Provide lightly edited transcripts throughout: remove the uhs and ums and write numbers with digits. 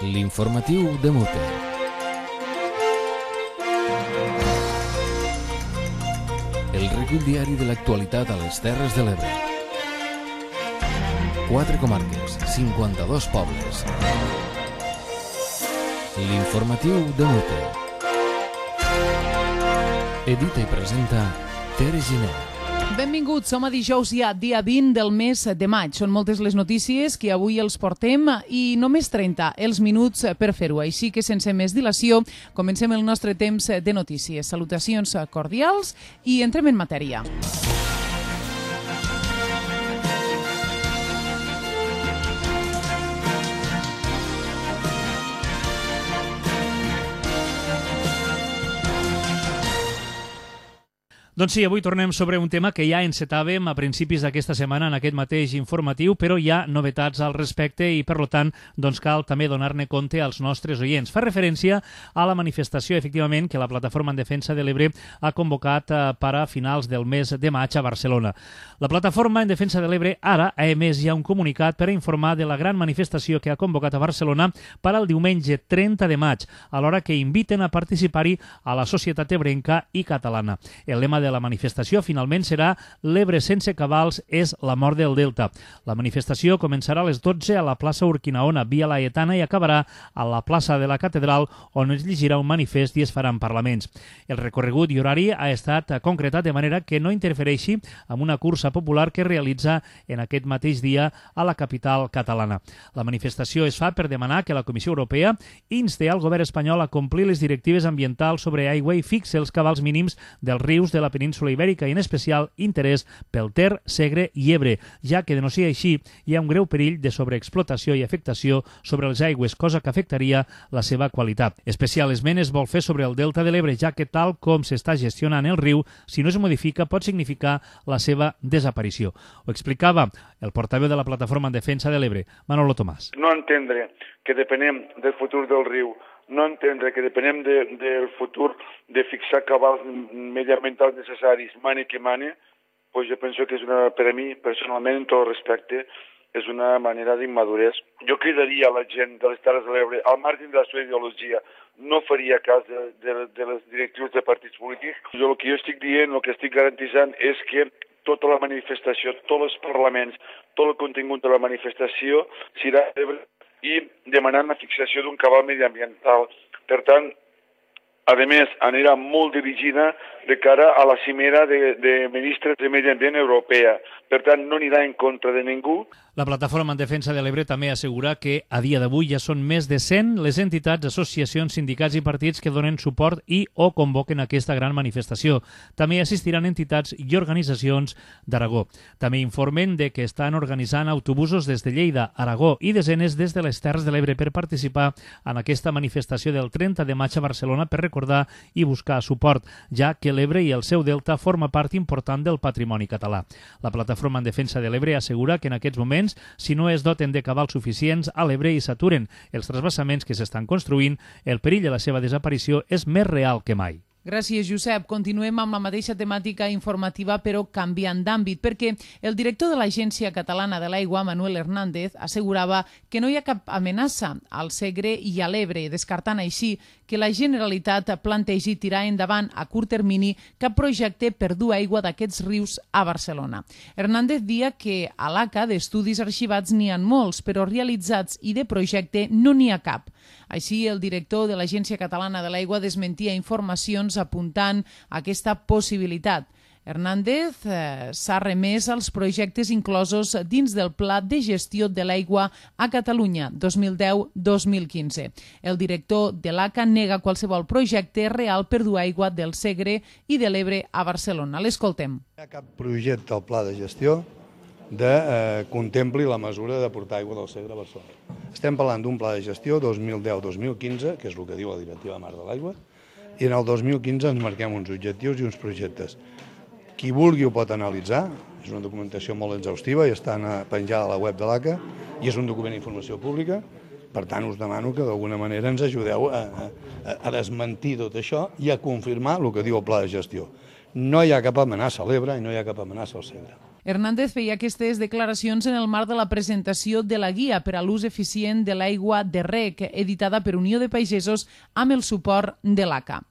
L'informatiu de Multe. El recull diari de l'actualitat a les Terres de l'Ebre. 4 comarques, 52 pobles. L'informatiu de Multe. Edita i presenta Tere Giner. Benvinguts, som a dijous ja, dia 20 del mes de maig. Són moltes les notícies que avui els portem i només 30 els minuts per fer-ho. Així que sense més dilació, comencem el nostre temps de notícies. Salutacions cordials i entrem en matèria. Doncs sí, avui tornem sobre un tema que ja encetàvem a principis d'aquesta setmana en aquest mateix informatiu, però hi ha novetats al respecte i, per tant, doncs cal també donar-ne compte als nostres oients. Fa referència a la manifestació, efectivament, que la Plataforma en Defensa de l'Ebre ha convocat per a finals del mes de maig a Barcelona. La Plataforma en Defensa de l'Ebre ara ha emès ja un comunicat per a informar de la gran manifestació que ha convocat a Barcelona per al diumenge 30 de maig, alhora que inviten a participar-hi a la societat ebrenca i catalana. El lema de la manifestació finalment serà "L'Ebre sense cabals és la mort del Delta". La manifestació començarà a les 12 a la plaça Urquinaona, Via Laietana, i acabarà a la plaça de la Catedral, on es llegirà un manifest i es faran parlaments. El recorregut i horari ha estat concretat de manera que no interfereixi amb una cursa popular que es realitza en aquest mateix dia a la capital catalana. La manifestació es fa per demanar que la Comissió Europea inste al govern espanyol a complir les directives ambientals sobre aigua i fixe els cabals mínims dels rius de la península Ibèrica i en especial interès pel Ter, Segre i Ebre, ja que de no ser així hi ha un greu perill de sobreexplotació i afectació sobre les aigües, cosa que afectaria la seva qualitat. Especial esment es vol fer sobre el Delta de l'Ebre, ja que tal com s'està gestionant el riu, si no es modifica pot significar la seva desaparició. Ho explicava el portaveu de la Plataforma en Defensa de l'Ebre, Manolo Tomàs. No entendre que depenem del futur del riu, no entendre que depenem del futur de fixar cabals mediambientals necessaris, mane que mane, pues jo penso que és per a mi, personalment, en tot el respecte, és una manera d'immadurez. Jo cridaria a la gent de les Terres de l'Ebre, al marge de la seva ideologia, no faria cas de les directrius de partits polítics. El que jo estic dient, el que estic garantitzant és que tota la manifestació, tots els parlaments, tot el contingut de la manifestació serà i demanant la fixació d'un cabal mediambiental. Per tant, a més, anirà molt dirigida de cara a la cimera de ministres de Medi Ambient europea. Per tant, no anirà en contra de ningú. La Plataforma en Defensa de l'Ebre també assegura que a dia d'avui ja són més de 100 les entitats, associacions, sindicats i partits que donen suport i o convoquen aquesta gran manifestació. També assistiran entitats i organitzacions d'Aragó. També informen de que estan organitzant autobusos des de Lleida, Aragó i desenes des de les Terres de l'Ebre per participar en aquesta manifestació del 30 de maig a Barcelona per recordar i buscar suport, ja que l'Ebre i el seu delta forma part important del patrimoni català. La Plataforma en Defensa de l'Ebre assegura que en aquests moments, si no es doten de cabals suficients a l'Ebre i s'aturen els transvasaments que s'estan construint, el perill de la seva desaparició és més real que mai. Gràcies, Josep. Continuem amb la mateixa temàtica informativa, però canviant d'àmbit, perquè el director de l'Agència Catalana de l'Aigua, Manuel Hernández, assegurava que no hi ha cap amenaça al Segre i a l'Ebre, descartant així que la Generalitat plantegi tirar endavant a curt termini cap projecte per dur aigua d'aquests rius a Barcelona. Hernández dia que a l'ACA d'estudis arxivats n'hi ha molts, però realitzats i de projecte no n'hi ha cap. Així, el director de l'Agència Catalana de l'Aigua desmentia informacions apuntant a aquesta possibilitat. Hernández s'ha remès als projectes inclosos dins del Pla de Gestió de l'Aigua a Catalunya 2010-2015. El director de l'ACA nega qualsevol projecte real per dur aigua del Segre i de l'Ebre a Barcelona. L'escoltem. No hi ha cap projecte al Pla de Gestió que contempli la mesura de portar aigua del Segre a Barcelona. Estem parlant d'un pla de gestió 2010-2015, que és el que diu la Directiva Marc de l'Aigua, i en el 2015 ens marquem uns objectius i uns projectes. Qui vulgui ho pot analitzar, és una documentació molt exhaustiva i està penjada a la web de l'ACA i és un document d'informació pública. Per tant, us demano que d'alguna manera ens ajudeu a desmentir tot això i a confirmar el que diu el pla de gestió. No hi ha cap amenaça a l'Ebre i no hi ha cap amenaça al Segre. Hernández feia aquestes declaracions en el marc de la presentació de la Guia per a l'ús eficient de l'aigua de rec, editada per Unió de Pagesos amb el suport de l'ACA.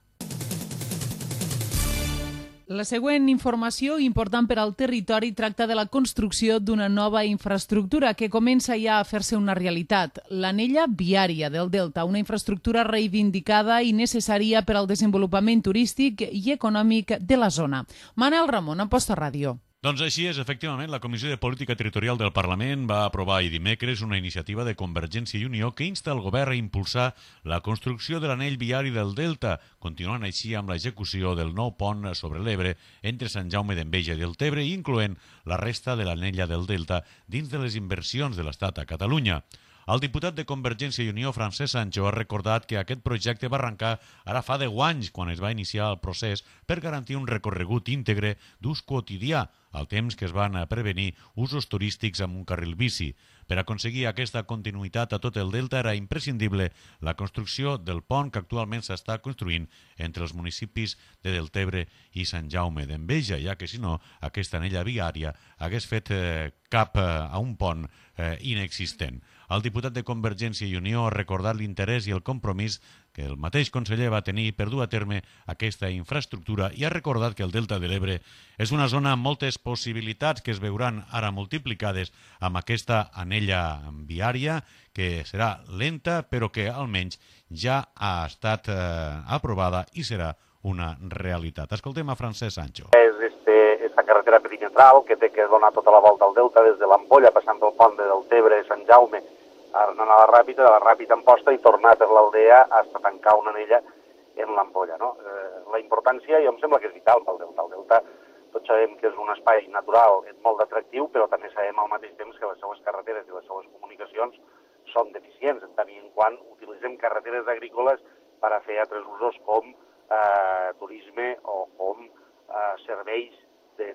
La següent informació, important per al territori, tracta de la construcció d'una nova infraestructura que comença ja a fer-se una realitat. L'anella viària del Delta, una infraestructura reivindicada i necessària per al desenvolupament turístic i econòmic de la zona. Manel Ramon, Amposta Ràdio. Doncs així és, efectivament, la Comissió de Política Territorial del Parlament va aprovar ahir dimecres una iniciativa de Convergència i Unió que insta el govern a impulsar la construcció de l'anell viari del Delta, continuant així amb l'execució del nou pont sobre l'Ebre entre Sant Jaume d'Enveja i Deltebre, incloent la resta de l'anella del Delta dins de les inversions de l'Estat a Catalunya. El diputat de Convergència i Unió, Francesc Sancho, ha recordat que aquest projecte va arrencar ara fa 10 anys, quan es va iniciar el procés per garantir un recorregut íntegre d'ús quotidià, al temps que es van prevenir usos turístics amb un carril bici. Per aconseguir aquesta continuïtat a tot el Delta era imprescindible la construcció del pont que actualment s'està construint entre els municipis de Deltebre i Sant Jaume d'Enveja, ja que si no, aquesta anella viària hagués fet cap a un pont inexistent. El diputat de Convergència i Unió ha recordat l'interès i el compromís que el mateix conseller va tenir per dur a terme aquesta infraestructura i ha recordat que el Delta de l'Ebre és una zona amb moltes possibilitats que es veuran ara multiplicades amb aquesta anella viària que serà lenta però que almenys ja ha estat aprovada i serà una realitat. Escoltem a Francesc Sancho. És esta carretera perimetral que té que donar tota la volta al Delta des de l'Ampolla, passant pel pont de Deltebre, Sant Jaume, anant a la Ràpita, de la Ràpita a Amposta i tornar per l'Aldea fins a tancar una anella en l'Ampolla. No? La importància, jo em sembla que és vital pel Delta. El Delta, tots sabem que és un espai natural, és molt atractiu, però també sabem al mateix temps que les seues carreteres i les seues comunicacions són deficients, en tant i en quant utilitzem carreteres agrícoles per a fer altres usos com turisme o com serveis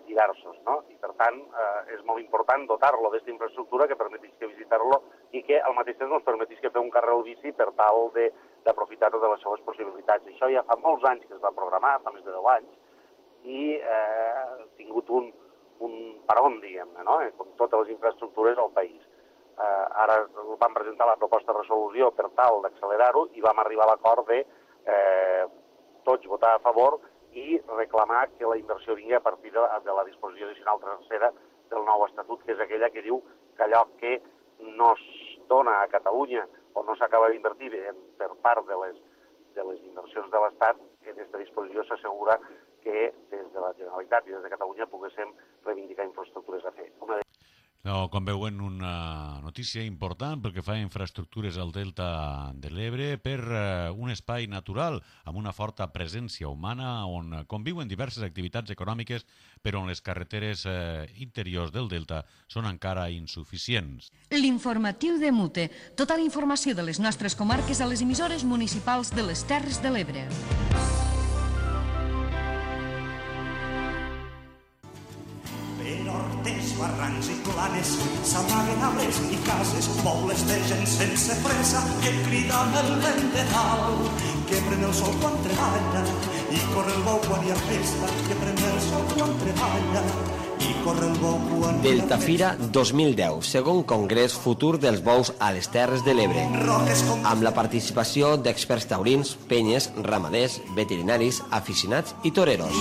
diversos, no? I per tant és molt important dotar-lo d'aquesta infraestructura que permetisca visitar-lo i que al mateix temps ens permetisca fer un carril bici per tal d'aprofitar totes les seves possibilitats. Això ja fa molts anys que es va programar, fa més de 10 anys, i ha tingut un paron, diguem-ne, no? Com totes les infraestructures al país. Ara vam presentar la proposta de resolució per tal d'accelerar-ho i vam arribar a l'acord de tots votar a favor i reclamar que la inversió vingui a partir de la disposició addicional tercera del nou estatut, que és aquella que diu que allò que no es dona a Catalunya o no s'acaba d'invertir per part de les inversions de l'Estat, que en aquesta disposició s'assegura que des de la Generalitat i des de Catalunya poguéssim reivindicar infraestructures a fer. Com veuen, una notícia important pel que fa a infraestructures al Delta de l'Ebre per un espai natural amb una forta presència humana on conviuen diverses activitats econòmiques però on les carreteres interiors del Delta són encara insuficients. L'informatiu de Mute. Tota la informació de les nostres comarques a les emissores municipals de les Terres de l'Ebre. Barrancs i planes, s'amaguen arbres i cases, pobles de gent sense fressa que criden el vent de dalt, que pren el sol quan treballa i corre el bou quan hi ha festa, que pren el sol quan treballa i corre el bou quan... Delta Fira 2010, segon congrés futur dels bous a les Terres de l'Ebre, amb la participació d'experts taurins, penyes, ramaders, veterinaris, aficionats i toreros.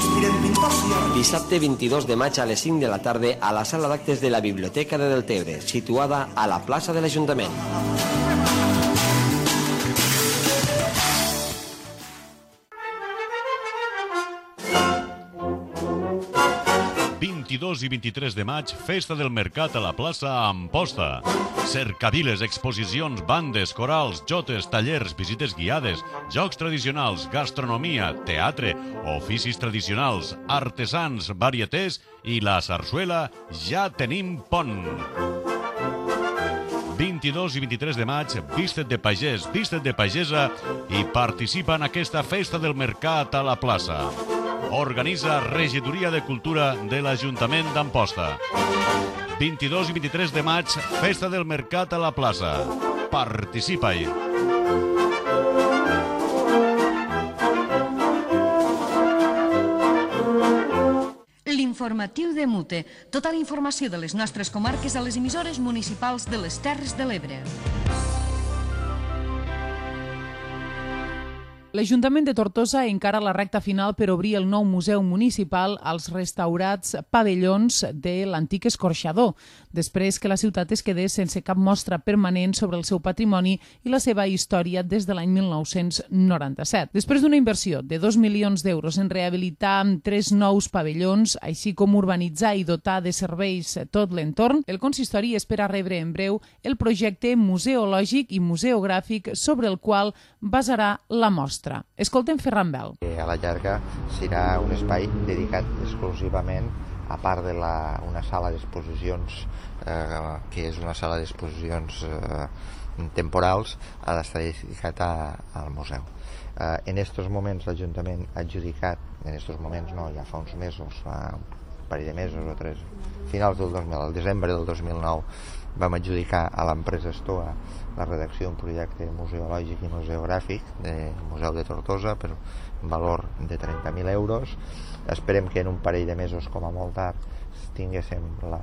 Dissabte 22 de maig a les 5 de la tarda a la sala d'actes de la Biblioteca de Deltebre, situada a la plaça de l'Ajuntament. 22 i 23 de maig, Festa del Mercat a la plaça Amposta. Cercaviles, exposicions, bandes, corals, jotes, tallers, visites guiades, jocs tradicionals, gastronomia, teatre, oficis tradicionals, artesans, varietés i la sarsuela Ja tenim pont. 22 i 23 de maig, víste't de pagès, víste't de pagesa i participa en aquesta Festa del Mercat a la plaça. Organitza Regidoria de Cultura de l'Ajuntament d'Amposta. 22 i 23 de maig, Festa del Mercat a la plaça. Participa-hi! informatiu de Mute. Tota la informació de les nostres comarques a les emissores municipals de les Terres de l'Ebre. L'Ajuntament de Tortosa encara la recta final per obrir el nou museu municipal als restaurats pavellons de l'antic escorxador, després que la ciutat es quedés sense cap mostra permanent sobre el seu patrimoni i la seva història des de l'any 1997. Després d'una inversió de 2 milions d'euros en rehabilitar 3 nous pavellons, així com urbanitzar i dotar de serveis tot l'entorn, el consistori espera rebre en breu el projecte museològic i museogràfic sobre el qual basarà la mostra. Escoltem Ferran Bel. A la llarga serà un espai dedicat exclusivament, a part de una sala d'exposicions, que és una sala d'exposicions temporals, ha d'estar dedicat al museu. En aquests moments l'Ajuntament ha adjudicat, ja fa uns mesos, fa un parell de mesos o 3, finals del 2000, al desembre del 2009, vam adjudicar a l'empresa Stoa la redacció d'un projecte museològic i museogràfic del Museu de Tortosa per un valor de 30.000 euros. Esperem que en un parell de mesos, com a molt tard, tinguéssim la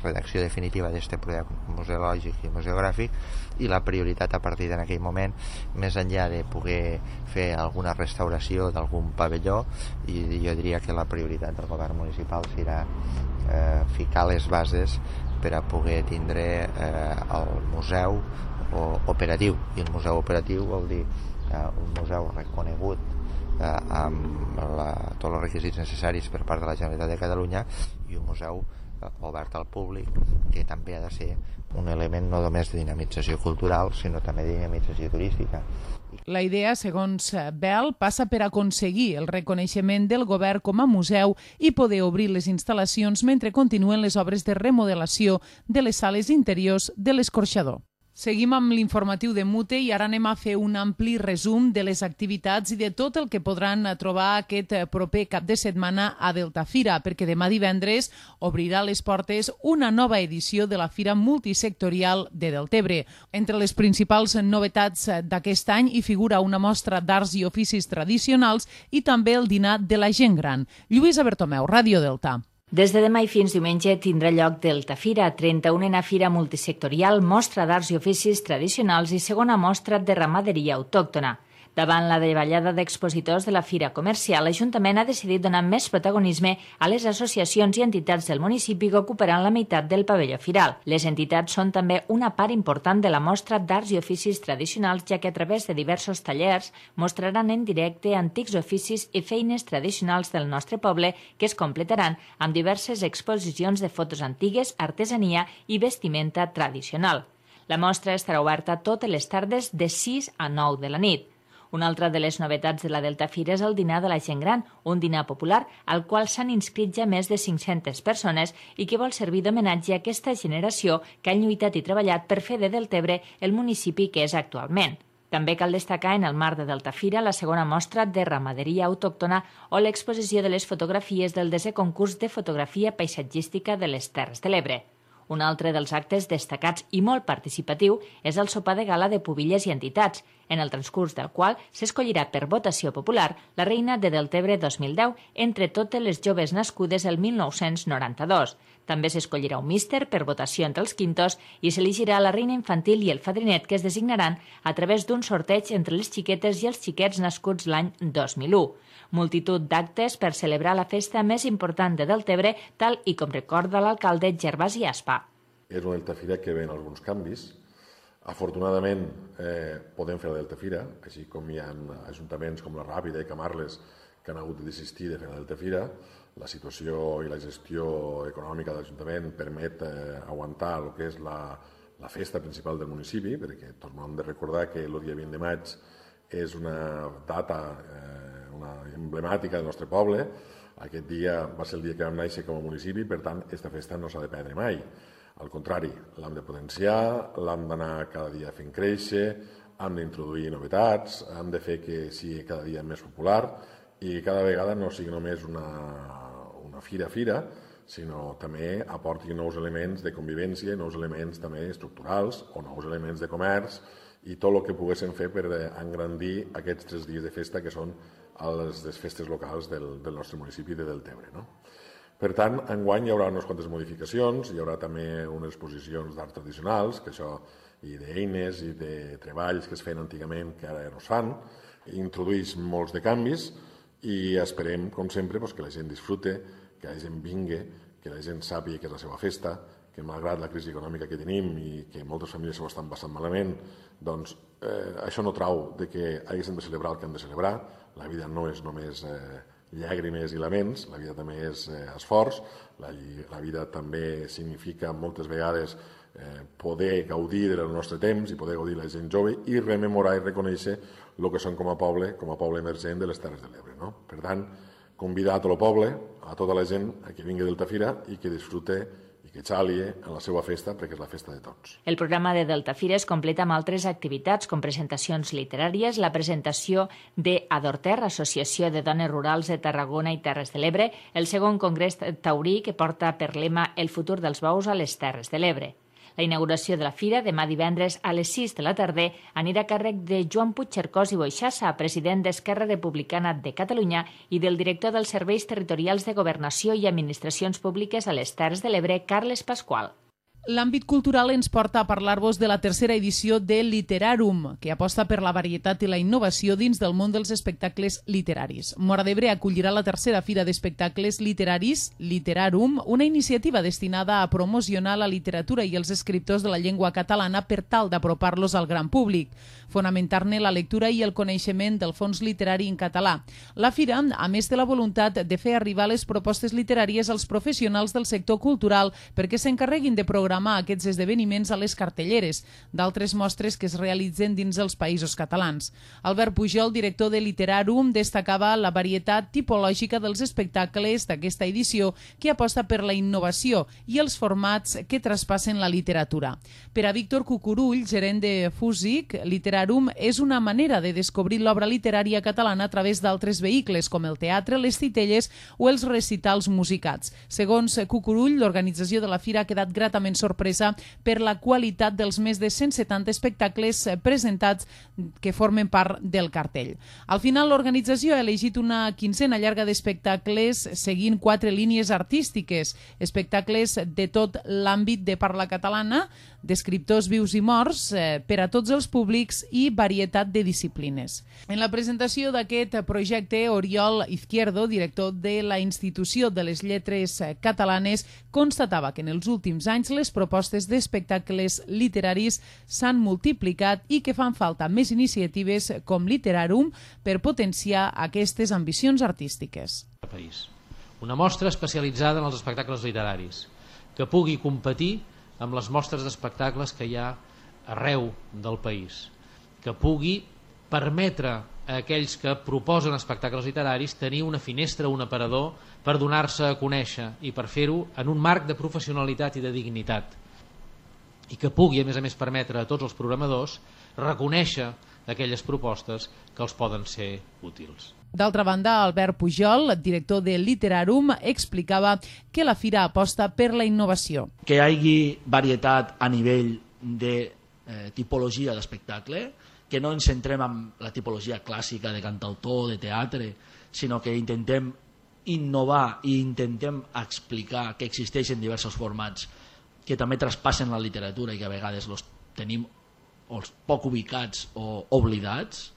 redacció definitiva d'aquest projecte museològic i museogràfic, i la prioritat a partir d'aquell moment, més enllà de poder fer alguna restauració d'algun pavelló, i jo diria que la prioritat del govern municipal serà ficar les bases per a poder tindre el museu operatiu. I el museu operatiu vol dir un museu reconegut amb tots els requisits necessaris per part de la Generalitat de Catalunya, i un museu obert al públic, que també ha de ser un element no només de dinamització cultural, sinó també de dinamització turística. La idea, segons Bel, passa per aconseguir el reconeixement del govern com a museu i poder obrir les instal·lacions mentre continuen les obres de remodelació de les sales interiors de l'escorxador. Seguim amb l'informatiu de Mute i ara anem a fer un ampli resum de les activitats i de tot el que podran trobar aquest proper cap de setmana a Deltafira, perquè demà divendres obrirà les portes una nova edició de la Fira Multisectorial de Deltebre. Entre les principals novetats d'aquest any hi figura una mostra d'arts i oficis tradicionals i també el dinar de la gent gran. Lluïsa Bertomeu, Ràdio Delta. Des de demà i fins diumenge tindrà lloc Deltafira, 31a Fira Multisectorial, mostra d'arts i oficis tradicionals i segona mostra de ramaderia autòctona. Davant la davallada d'expositors de la Fira Comercial, l'Ajuntament ha decidit donar més protagonisme a les associacions i entitats del municipi que ocuparan la meitat del pavelló firal. Les entitats són també una part important de la mostra d'arts i oficis tradicionals, ja que a través de diversos tallers mostraran en directe antics oficis i feines tradicionals del nostre poble que es completaran amb diverses exposicions de fotos antigues, artesania i vestimenta tradicional. La mostra estarà oberta totes les tardes de 6 a 9 de la nit. Una altra de les novetats de la Deltafira és el dinar de la gent gran, un dinar popular al qual s'han inscrit ja més de 500 persones i que vol servir d'homenatge a aquesta generació que han lluitat i treballat per fer de Deltebre el municipi que és actualment. També cal destacar en el marc de Deltafira la segona mostra de ramaderia autòctona o l'exposició de les fotografies del 10è concurs de fotografia paisatgística de les Terres de l'Ebre. Un altre dels actes destacats i molt participatiu és el sopar de gala de pubilles i entitats, en el transcurs del qual s'escollirà per votació popular la reina de Deltebre 2010 entre totes les joves nascudes el 1992. També s'escollirà un míster per votació entre els quintos i s'elegirà la reina infantil i el fadrinet que es designaran a través d'un sorteig entre les xiquetes i els xiquets nascuts l'any 2001. Multitud d'actes per celebrar la festa més important de Deltebre, tal i com recorda l'alcalde Gervasi Aspa. És una Deltafira que ven alguns canvis. Afortunadament podem fer la Deltafira, així com hi ha ajuntaments com la Ràpita i Camarles que han hagut de desistir de fer la Deltafira. La situació i la gestió econòmica de l'Ajuntament permet aguantar el que és la festa principal del municipi, perquè tornem de recordar que el dia 20 de maig és una data emblemàtica del nostre poble. Aquest dia va ser el dia que vam néixer com a municipi, per tant, aquesta festa no s'ha de perdre mai. Al contrari, l'hem de potenciar, l'hem d'anar cada dia fent créixer, hem d'introduir novetats, hem de fer que sigui cada dia més popular i cada vegada no sigui només una fira, sinó també aporti nous elements de convivència, nous elements també estructurals o nous elements de comerç i tot el que poguéssim fer per engrandir aquests 3 dies de festa que són les festes locals del nostre municipi de Deltebre. Per tant, enguany hi haurà unes quantes modificacions, hi haurà també unes exposicions d'art tradicionals, que això, i d'eines i de treballs que es feien antigament que ara no es fan, introdueix molts de canvis i esperem, com sempre, que la gent disfrute, que la gent vingui, que la gent sàpiga que és la seva festa, que malgrat la crisi econòmica que tenim i que moltes famílies s'ho estan passant malament, doncs això no trau de que haguéssim de celebrar el que hem de celebrar. La vida no és només llàgrimes i laments, la vida també és esforç, la vida també significa moltes vegades poder gaudir del nostre temps i poder gaudir la gent jove i rememorar i reconèixer el que som com a poble emergent de les Terres de l'Ebre. Per tant, convidar a tot el poble, a tota la gent que vingui d'Altafira i que disfrute i que xalie en la seva festa, perquè és la festa de tots. El programa de Deltafira es completa amb altres activitats com presentacions literàries, la presentació de Adorter, Associació de Dones Rurals de Tarragona i Terres de l'Ebre, el segon congrés taurí que porta per lema El futur dels bous a les Terres de l'Ebre. La inauguració de la fira, demà divendres a les 6 de la tarda, anirà a càrrec de Joan Puigcercós i Boixassa, president d'Esquerra Republicana de Catalunya i del director dels Serveis Territorials de Governació i Administracions Públiques a les Terres de l'Ebre, Carles Pasqual. L'àmbit cultural ens porta a parlar-vos de la tercera edició de Literarum, que aposta per la varietat i la innovació dins del món dels espectacles literaris. Móra d'Ebre acollirà la tercera fira d'espectacles literaris, Literarum, una iniciativa destinada a promocionar la literatura i els escriptors de la llengua catalana per tal d'apropar-los al gran públic, fonamentar-ne la lectura i el coneixement del fons literari en català. La fira, a més de la voluntat de fer arribar les propostes literàries als professionals del sector cultural perquè s'encarreguin de programar aquests esdeveniments a les cartelleres d'altres mostres que es realitzen dins els països catalans. Albert Pujol, director de Literarum, destacava la varietat tipològica dels espectacles d'aquesta edició que aposta per la innovació i els formats que traspassen la literatura. Per a Víctor Cucurull, gerent de Fúsic, Literarum és una manera de descobrir l'obra literària catalana a través d'altres vehicles com el teatre, les titelles o els recitals musicats. Segons Cucurull, l'organització de la fira ha quedat gratament sorpresa per la qualitat dels més de 170 espectacles presentats que formen part del cartell. Al final, l'organització ha elegit una quinzena llarga d'espectacles seguint 4 línies artístiques, espectacles de tot l'àmbit de parla catalana, d'escriptors vius i morts, per a tots els públics i varietat de disciplines. En la presentació d'aquest projecte, Oriol Izquierdo, director de la Institució de les Lletres Catalanes, constatava que en els últims anys les propostes d'espectacles literaris s'han multiplicat i que fan falta més iniciatives com Literarum per potenciar aquestes ambicions artístiques. Una mostra especialitzada en els espectacles literaris, que pugui competir amb les mostres d'espectacles que hi ha arreu del país, que pugui permetre a aquells que proposen espectacles literaris tenir una finestra, un aparador per donar-se a conèixer i per fer-ho en un marc de professionalitat i de dignitat, i que pugui a més permetre a tots els programadors reconèixer aquelles propostes que els poden ser útils. D'altra banda, Albert Pujol, director de Literarum, explicava que la fira aposta per la innovació. Que hi hagi varietat a nivell de tipologia d'espectacle, que no ens centrem en la tipologia clàssica de cantautor, de teatre, sinó que intentem innovar i intentem explicar que existeixen diversos formats que també traspassen la literatura i que a vegades els tenim poc ubicats o oblidats,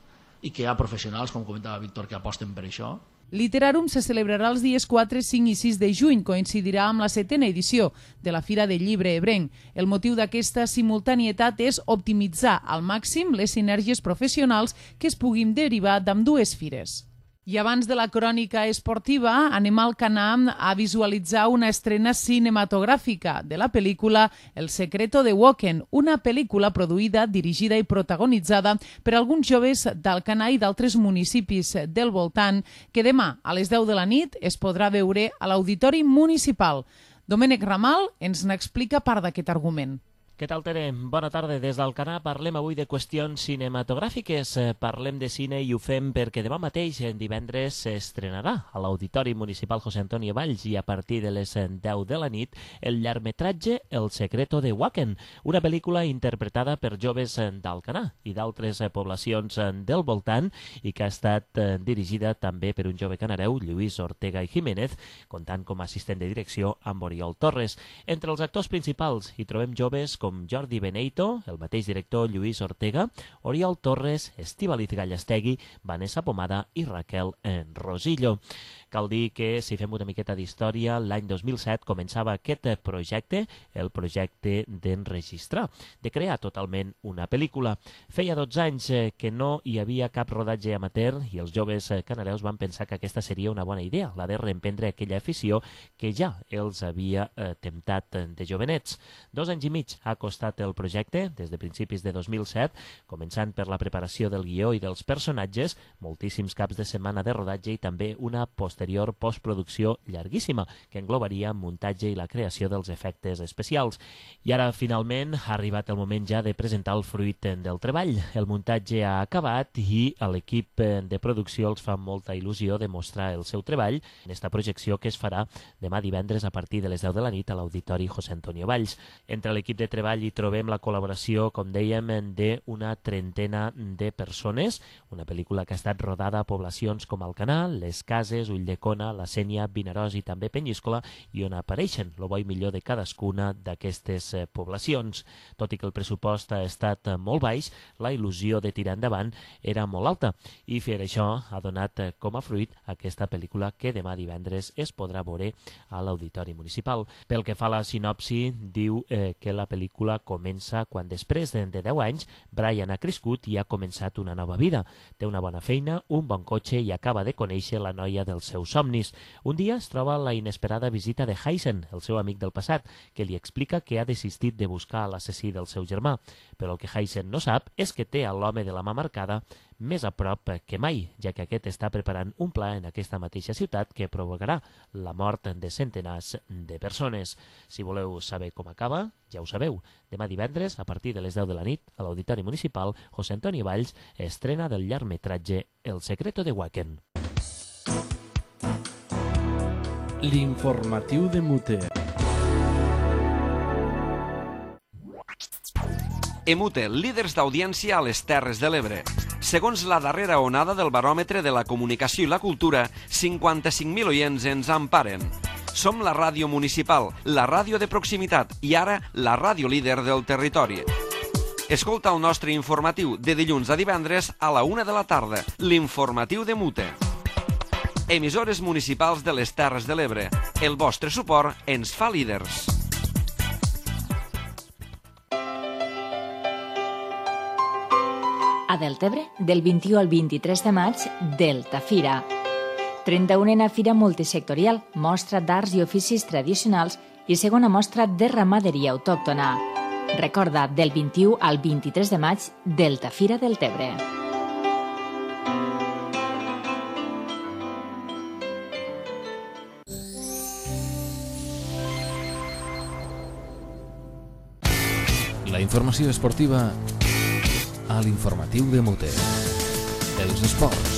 i que hi ha professionals, com comentava Víctor, que aposten per això. Literarum se celebrarà els dies 4, 5 i 6 de juny, coincidirà amb la 7ª edició de la Fira del Llibre Ebrenc. El motiu d'aquesta simultanietat és optimitzar al màxim les sinergies professionals que es puguin derivar d'ambdues fires. I abans de la crònica esportiva, anem al Canam a visualitzar una estrena cinematogràfica de la pel·lícula El secreto de Woken, una pel·lícula produïda, dirigida i protagonitzada per alguns joves d'Alcanar i d'altres municipis del voltant, que demà a les 10 de la nit es podrà veure a l'Auditori Municipal. Domènec Ramal ens n'explica part d'aquest argument. Què tal, Tere? Bona tarda. Des d'Alcanar parlem avui de qüestions cinematogràfiques. Parlem de cine i ho fem perquè demà mateix, divendres, s'estrenarà a l'Auditori Municipal José Antonio Valls i a partir de les 10 de la nit el llargmetratge El secreto de Wacken, una pel·lícula interpretada per joves d'Alcanar i d'altres poblacions del voltant i que ha estat dirigida també per un jove canareu, Lluís Ortega i Jiménez, comptant com a assistent de direcció amb Oriol Torres. Entre els actors principals hi trobem joves com Jordi Beneito, el mateix director Lluís Ortega, Oriol Torres, Estíbaliz Gallastegui, Vanessa Pomada i Raquel Rosillo. Cal dir que, si fem una miqueta d'història, l'any 2007 començava aquest projecte, el projecte d'enregistrar, de crear totalment una pel·lícula. Feia 12 anys que no hi havia cap rodatge amateur i els joves canareus van pensar que aquesta seria una bona idea, la de reemprendre aquella afició que ja els havia temptat de jovenets. 2 anys i mig ha costat el projecte, des de principis de 2007, començant per la preparació del guió i dels personatges, moltíssims caps de setmana de rodatge i també una posterior postproducció llarguíssima, que englobaria muntatge i la creació dels efectes especials. I ara, finalment, ha arribat el moment ja de presentar el fruit del treball. El muntatge ha acabat i a l'equip de producció els fa molta il·lusió de mostrar el seu treball en esta projecció que es farà demà divendres a partir de les 10 de la nit a l'Auditori José Antonio Valls. Entre l'equip de treball hi trobem la col·laboració, com dèiem, d'una trentena de persones, una pel·lícula que ha estat rodada a poblacions com Alcanar, Les Cases, Ulldecona, La Sénia, Vinaròs i també Penyíscola, i on apareixen el bo i millor de cadascuna d'aquestes poblacions. Tot i que el pressupost ha estat molt baix, la il·lusió de tirar endavant era molt alta i fer això ha donat com a fruit aquesta pel·lícula que demà divendres es podrà veure a l'Auditori Municipal. Pel que fa a la sinopsi, diu que la pel·lícula comença quan després de 10 anys Brian ha crescut i ha començat una nova vida. Té una bona feina, un bon cotxe i acaba de conèixer la noia dels seus somnis. Un dia es troba la inesperada visita de Heisen, el seu amic del passat, que li explica que ha desistit de buscar l'assassí del seu germà. Però el que Heisen no sap és que té a l'home de la mà marcada més a prop que mai, ja que aquest està preparant un pla en aquesta mateixa ciutat que provocarà la mort de centenars de persones. Si voleu saber com acaba, ja ho sabeu. Demà divendres, a partir de les 10 de la nit, a l'Auditori Municipal José Antonio Valls, estrena del llargmetratge El secreto de Wacken. L'informatiu de Mute. Emute, líders d'audiència a les Terres de l'Ebre. Segons la darrera onada del baròmetre de la comunicació i la cultura, 55.000 oients ens emparen. Som la ràdio municipal, la ràdio de proximitat i ara la ràdio líder del territori. Escolta el nostre informatiu de dilluns a divendres a la 1 de la tarda, l'informatiu de Mute. Emissores municipals de les Terres de l'Ebre. El vostre suport ens fa líders. A Deltebre, del 21 al 23 de maig, Delta Fira. 31a Fira Multisectorial, mostra d'arts i oficis tradicionals i segona mostra de ramaderia autòctona. Recorda, del 21 al 23 de maig, Delta Fira Deltebre. La informació esportiva a l'informatiu de Mute. Els esports.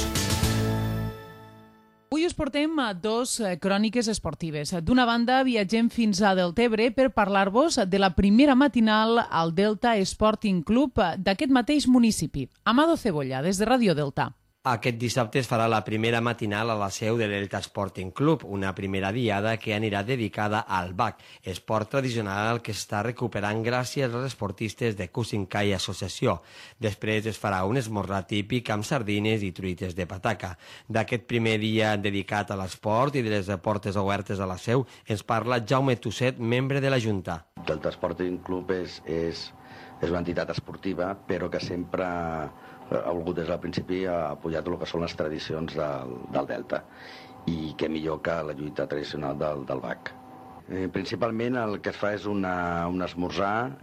Avui us portem dos cròniques esportives. D'una banda, viatgem fins a Deltebre per parlar-vos de la primera matinal al Delta Sporting Club d'aquest mateix municipi. Amado Cebolla, des de Ràdio Delta. Aquest dissabte es farà la primera matinal a la seu de Delta Sporting Club, una primera diada que anirà dedicada al BAC, esport tradicional que està recuperant gràcies als esportistes de Cusinkai Associació. Després es farà un esmorzar típic amb sardines i truites de pataca. D'aquest primer dia dedicat a l'esport i de les portes obertes a la seu ens parla Jaume Tusset, membre de la Junta. Delta Sporting Club és una entitat esportiva, però que sempre ha volgut des del principi apoyar tot el que són les tradicions del Delta, i què millor que la lluita tradicional del BAC. Principalment el que es fa és un esmorzar,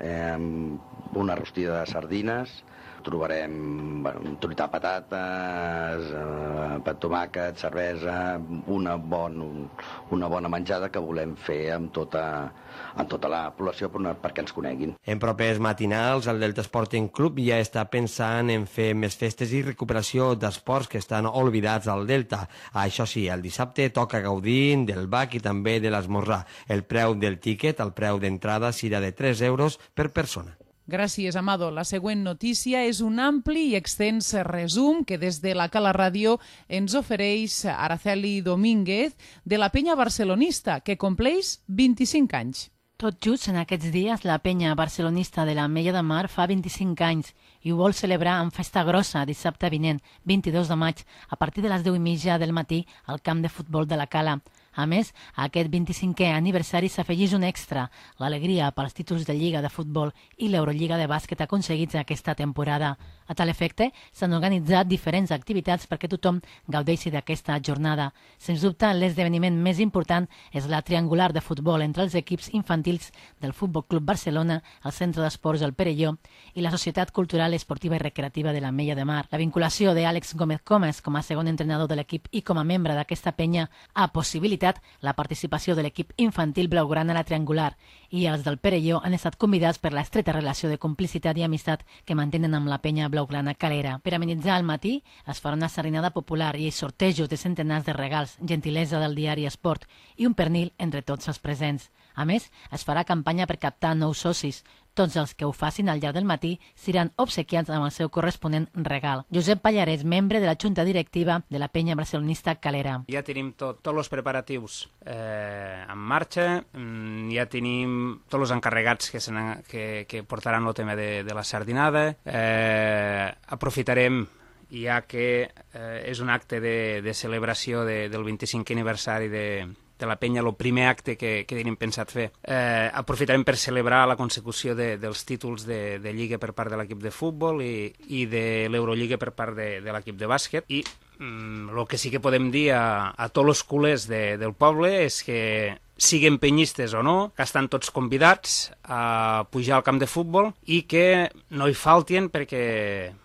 una rostida de sardines, trobarem un truita de patates, pa tomàquet, cervesa, una bona menjada que volem fer amb tota la població perquè ens coneguin. En propers matinals, el Delta Sporting Club ja està pensant en fer més festes i recuperació d'esports que estan oblidats al Delta. Això sí, el dissabte toca gaudir del bac i també de l'esmorzar. El preu del tíquet, el preu d'entrada, serà de 3 euros per persona. Gràcies, Amado. La següent notícia és un ampli i extens resum que des de la Cala Ràdio ens ofereix Araceli Domínguez de la penya barcelonista, que compleix 25 anys. Tot just en aquests dies, la penya barcelonista de l'Ametlla de Mar fa 25 anys i ho vol celebrar amb festa grossa dissabte vinent, 22 de maig, a partir de les 10:30 del matí al camp de futbol de la Cala. A més, a aquest 25è aniversari s'afegeix un extra, l'alegria pels títols de Lliga de Futbol i l'Eurolliga de Bàsquet aconseguits aquesta temporada. A tal efecte, s'han organitzat diferents activitats perquè tothom gaudeixi d'aquesta jornada. Sens dubte, l'esdeveniment més important és la triangular de futbol entre els equips infantils del Futbol Club Barcelona, el Centre d'Esports El Perelló i la Societat Cultural, Esportiva i Recreativa de l'Ametlla de Mar. La vinculació d'Àlex Gómez Comas com a segon entrenador de l'equip i com a membre d'aquesta penya ha possibilitat la participació de l'equip infantil blaugrana a la triangular i els del Perelló han estat convidats per l'estreta relació de complicitat i amistat que mantenen amb la penya blaugrana calera. Per amenitzar el matí es farà una sardinada popular i sortejos de centenars de regals, gentilesa del diari Esport i un pernil entre tots els presents. A més, es farà campanya per captar nous socis. Tots els que ho facin al llarg del matí seran obsequiats amb el seu corresponent regal. Josep Pallarès, membre de la Junta Directiva de la penya barcelonista Calera. Ja tenim tots els preparatius en marxa, ja tenim tots els encarregats que portaran el tema de la sardinada. Aprofitarem, ja que és un acte de celebració del 25è aniversari de la penya, el primer acte que tenim pensat fer. Aprofitarem per celebrar la consecució dels títols de Lliga per part de l'equip de futbol i de l'Eurolliga per part de l'equip de bàsquet. I el que sí que podem dir a tots els culers del poble és que siguin penyistes o no, que estan tots convidats a pujar al camp de futbol i que no hi faltin perquè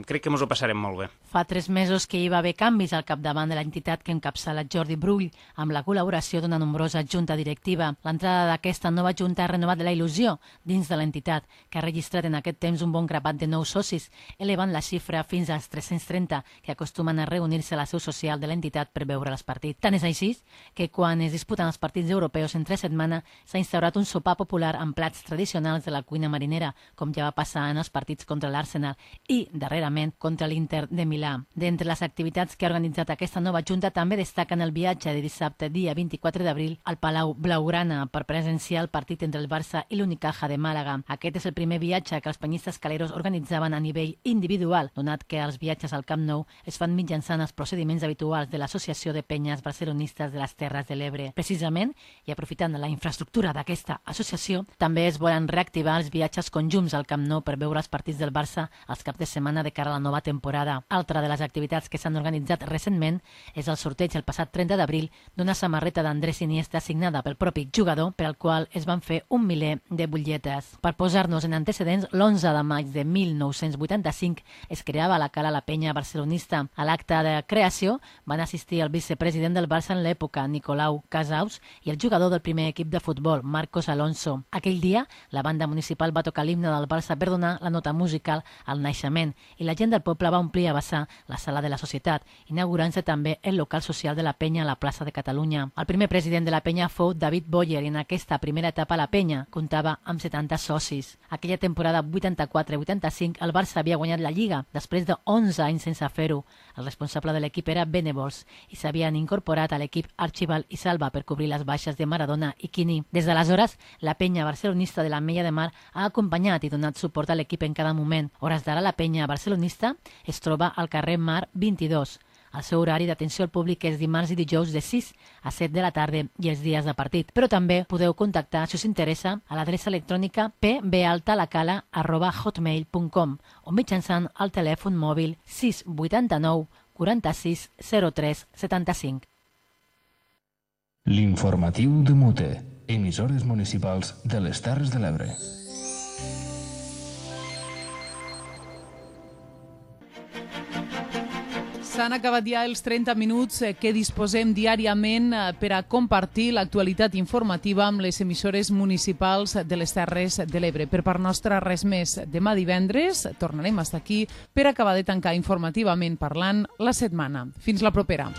crec que ens ho passarem molt bé. Fa 3 mesos que hi va haver canvis al capdavant de l'entitat que encapçala Jordi Brull, amb la col·laboració d'una nombrosa junta directiva. L'entrada d'aquesta nova junta ha renovat la il·lusió dins de l'entitat, que ha registrat en aquest temps un bon grapat de nous socis, elevant la xifra fins als 330, que acostumen a reunir-se a la seu social de l'entitat per veure els partits. Tant és així que quan es disputen els partits europeus entre setmana s'ha instaurat un sopar popular amb plats tradicionals de la cuina marinera, com ja va passar en els partits contra l'Arsenal i, darrerament, contra l'Inter de Milà. D'entre les activitats que ha organitzat aquesta nova junta també destaquen el viatge de dissabte, dia 24 d'abril, al Palau Blaugrana per presenciar el partit entre el Barça i l'Unicaja de Màlaga. Aquest és el primer viatge que els penyistes caleros organitzaven a nivell individual, donat que els viatges al Camp Nou es fan mitjançant els procediments habituals de l'Associació de Penyes Barcelonistes de les Terres de l'Ebre. Precisament, i aprofitant la infraestructura d'aquesta associació, també es volen reactivar els viatges conjunts al Camp Nou per veure els partits del Barça els caps de setmana de cara a la nova temporada. Altra de les activitats que s'han organitzat recentment és el sorteig el passat 30 d'abril d'una samarreta d'Andrés Iniesta signada pel propi jugador, per al qual es van fer 1 miler de butlletes. Per posar-nos en antecedents, l'11 de maig de 1985 es creava a la Cala la penya barcelonista. A l'acte de creació van assistir el vicepresident del Barça en l'època, Nicolau Casaus, i el jugador del primer equip de futbol, Marcos Alonso. Aquell dia, la banda municipal va tocar l'himne del Barça per donar la nota musical al naixement i la gent del poble va omplir a vessar la sala de la societat, inaugurant-se també el local social de la penya a la plaça de Catalunya. El primer president de la penya fou David Boyer i en aquesta primera etapa la penya comptava amb 70 socis. Aquella temporada 84-85 el Barça havia guanyat la Lliga després de 11 anys sense fer-ho. El responsable de l'equip era Benevols i s'havien incorporat a l'equip Archibald i Salva per cobrir les baixes de Maradona i Quini. Des d'aleshores, la penya barcelonista de l'Ametlla de Mar ha acompanyat i donat suport a l'equip en cada moment. Hores d'ara, la penya barcelonista es troba al carrer Mar 22. El seu horari d'atenció al públic és dimarts i dijous de 6 a 7 de la tarda i els dies de partit. Però també podeu contactar, si us interessa, a l'adreça electrònica pbaltalacala@hotmail.com o mitjançant el telèfon mòbil 689 46 03 75. L'informatiu de Mute, emissores municipals de les Terres de l'Ebre. S'han acabat ja els 30 minuts que disposem diàriament per a compartir l'actualitat informativa amb les emissores municipals de les Terres de l'Ebre. Per part nostra, res més. Demà divendres tornarem a estar aquí per acabar de tancar informativament parlant la setmana. Fins la propera.